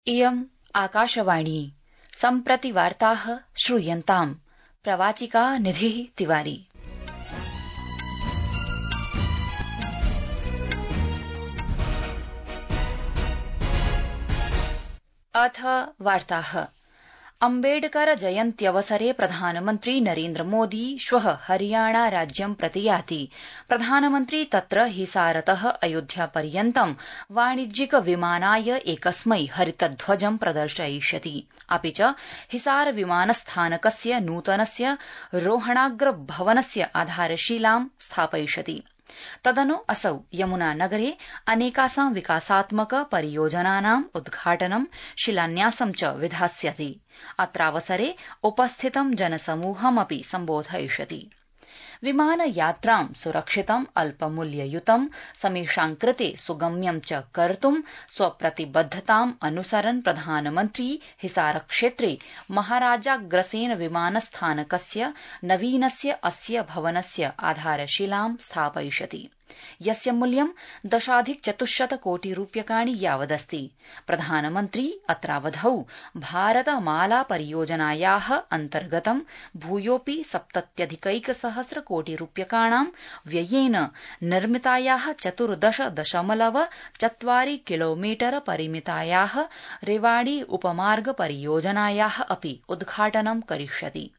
इयम् आकाशवाणी सम्प्रति वार्ताः श्रूयन्ताम्। प्रवाचिका निधिः तिवारी। अथ वार्ताः। अम्बेडकर जयन्त्यवसरे प्रधानमन्त्री नरेन्द्र मोदी श्वः हरियाणा राज्यं प्रति याति। प्रधानमन्त्री तत्र हिसारतः अयोध्यापर्यन्तं वाणिज्यिक विमानाय एकस्मै हरितध्वजं प्रदर्शयिष्यति। अपि च हिसार विमानस्थानकस्य नूतनस्य रोहणाग्र भवनस्य आधारशिलां स्थापयिष्यति। तदनु असौ यमुनानगरे अनेकासां विकासात्मक परियोजनानाम् उद्घाटनं शिलान्यासं च विधास्यति। अत्रावसरे उपस्थितं जनसमूहमपि सम्बोधयिष्यति। विमानयात्रां सुरक्षितं अल्पमूल्ययुतं समेषां कृते सुगम्यं च कर्तुं स्वप्रतिबद्धताम् अनुसरन् प्रधानमन्त्री हिसारक्षेत्रे महाराजाग्रसेन विमानस्थानकस्य नवीनस्य अस्य भवनस्य आधारशिलां स्थापयिष्यति, यस्य मूल्यं 10,400 कोटिरूप्यकाणि यावदस्ति। प्रधानमन्त्री अत्रावधौ भारतमाला परियोजनायाः अन्तर्गतं भूयोऽपि 70,100 कोटिरूप्यकाणां व्ययेन निर्मितायाः 14.4 किलोमीटर परिमितायाः रेवाड़ी उपमार्ग परियोजनायाः अपि उद्घाटनं करिष्यति।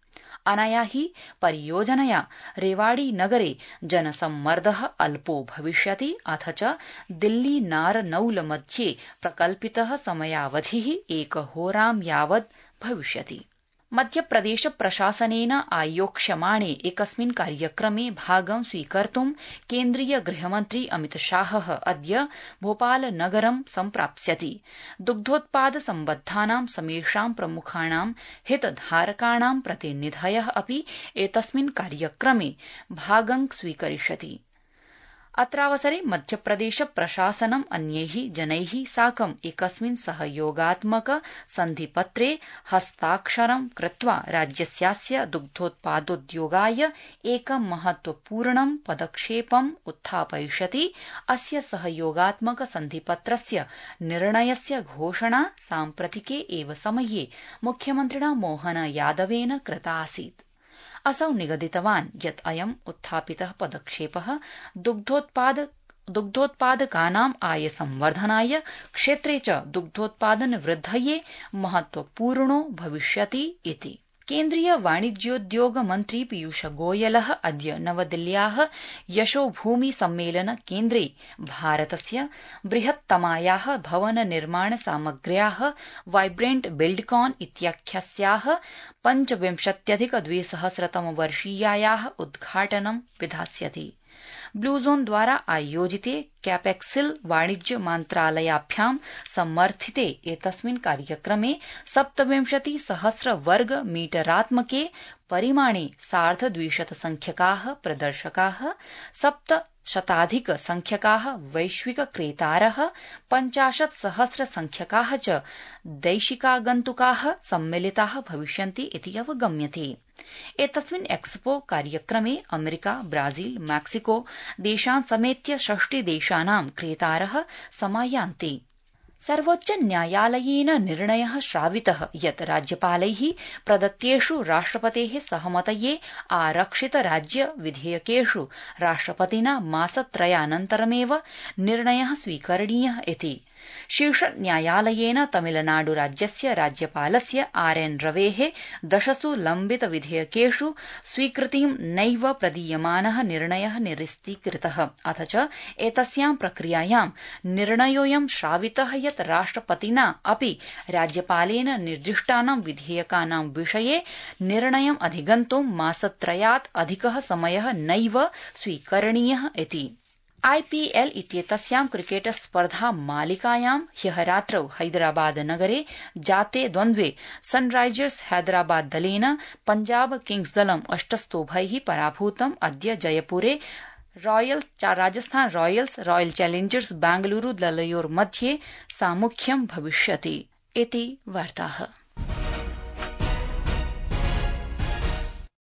अनया हि परियोजनया रेवाड़ी नगरे जनसम्मर्दः अल्पो भविष्यति, अथ च दिल्ली नारनौल मध्ये प्रकल्पितः समयावधिः 1 होरां यावत् भविष्यति। मध्यप्रदेश प्रशासनेन आयोक्ष्यमाणे एकस्मिन् कार्यक्रमे भागं स्वीकर्तुं केन्द्रीय गृहमन्त्री अमितशाहः अद्य भोपालनगरं सम्प्राप्स्यति। दुग्धोत्पाद सम्बद्धानां समेषां प्रमुखाणां हितधारकाणां प्रतिनिधयः अपि एतस्मिन् कार्यक्रमे भागं स्वीकरिष्यति। अत्रावसरे मध्यप्रदेश प्रशासनम् अन्यैः जनैः साकम् एकस्मिन् सहयोगात्मक सन्धिपत्रे हस्ताक्षरं कृत्वा राज्यस्यास्य दुग्धोत्पादोद्योगाय एकं महत्वपूर्णं पदक्षेपम् उत्थापयिष्यति। अस्य सहयोगात्मक सन्धिपत्रस्य निर्णयस्य घोषणा साम्प्रतिके एव समये मुख्यमन्त्रिणा मोहन यादवेन कृता आसीत्। असौ निगदितवान् यत् अयम् उत्थापितः पदक्षेपः दुग्धोत्पादकानाम् आय संवर्धनाय, क्षेत्रे च दुग्धोत्पादन वृद्धये महत्वपूर्णो भविष्यति इति। केन्द्रीय वाणिज्योद्योग मन्त्री पीयूष गोयलः अद्य नवदिल्ल्याः यशोभूमि सम्मेलन केन्द्रे भारतस्य बृहत्तमायाः भवन निर्माण सामग्र्याः वाइब्रेंट बिल्डकॉन इत्याख्यस्याः 25,200 उद्घाटनं विधास्यति। ब्लू जोन द्वारा आयोजिते कैपेक्सिल वाणिज्य मन्त्रालयाभ्यां समर्थिते एतस्मिन् कार्यक्रमे 27,000 वर्ग मीटरात्मके परिमाणे 250 संख्यकाः प्रदर्शकाः, 700 संख्यकाः वैश्विक क्रेतारः, 50,000 संख्यकाः च दैशिकागन्तुकाः सम्मिलिताः भविष्यन्ति इति अवगम्यते। एतस्मिन् एक्सपो कार्यक्रमे अमेरिका, ब्राजील, मैक्सिको देशान् समेत्य 60 देशानां क्रेतारः समायान्ति। सर्वोच्च न्यायालयेन निर्णयः श्रावितः यत् राज्यपालैः प्रदत्तेषु राष्ट्रपतेः सहमतये आरक्षित राज्य विधेयकेषु राष्ट्रपतिना मासत्रयानन्तरमेव निर्णयः स्वीकरणीयः इति। शीर्षन्यायालयेन तमिलनाडु राज्यस्य राज्यपालस्य RN रवेः 10 लम्बित विधेयकेषु स्वीकृतिं नैव प्रदीयमानः निर्णयः निरस्तीकृतः, अथ च एतस्यां प्रक्रियायां निर्णयोऽयं श्रावितः यत् राष्ट्रपतिना अपि राज्यपालेन निर्दिष्टानां विधेयकानां विषये निर्णयम् अधिगन्तुं मासत्रयात् अधिकः समयः नैव स्वीकरणीयः इति। IPL इत्येतस्यां क्रिकेट स्पर्धा मालिकायां ह्यः रात्रौ हैदराबाद नगरे जाते द्वन्द्वे सनराइजर्स हैदराबाद दलेन पंजाब किंग्स दलम् 8 स्तोभैः पराभूतम्। अद्य जयपुरे Rajasthan Royals royal Challengers Bengaluru दलयोर्मध्ये सामुख्यं भविष्यति इति वार्ताः।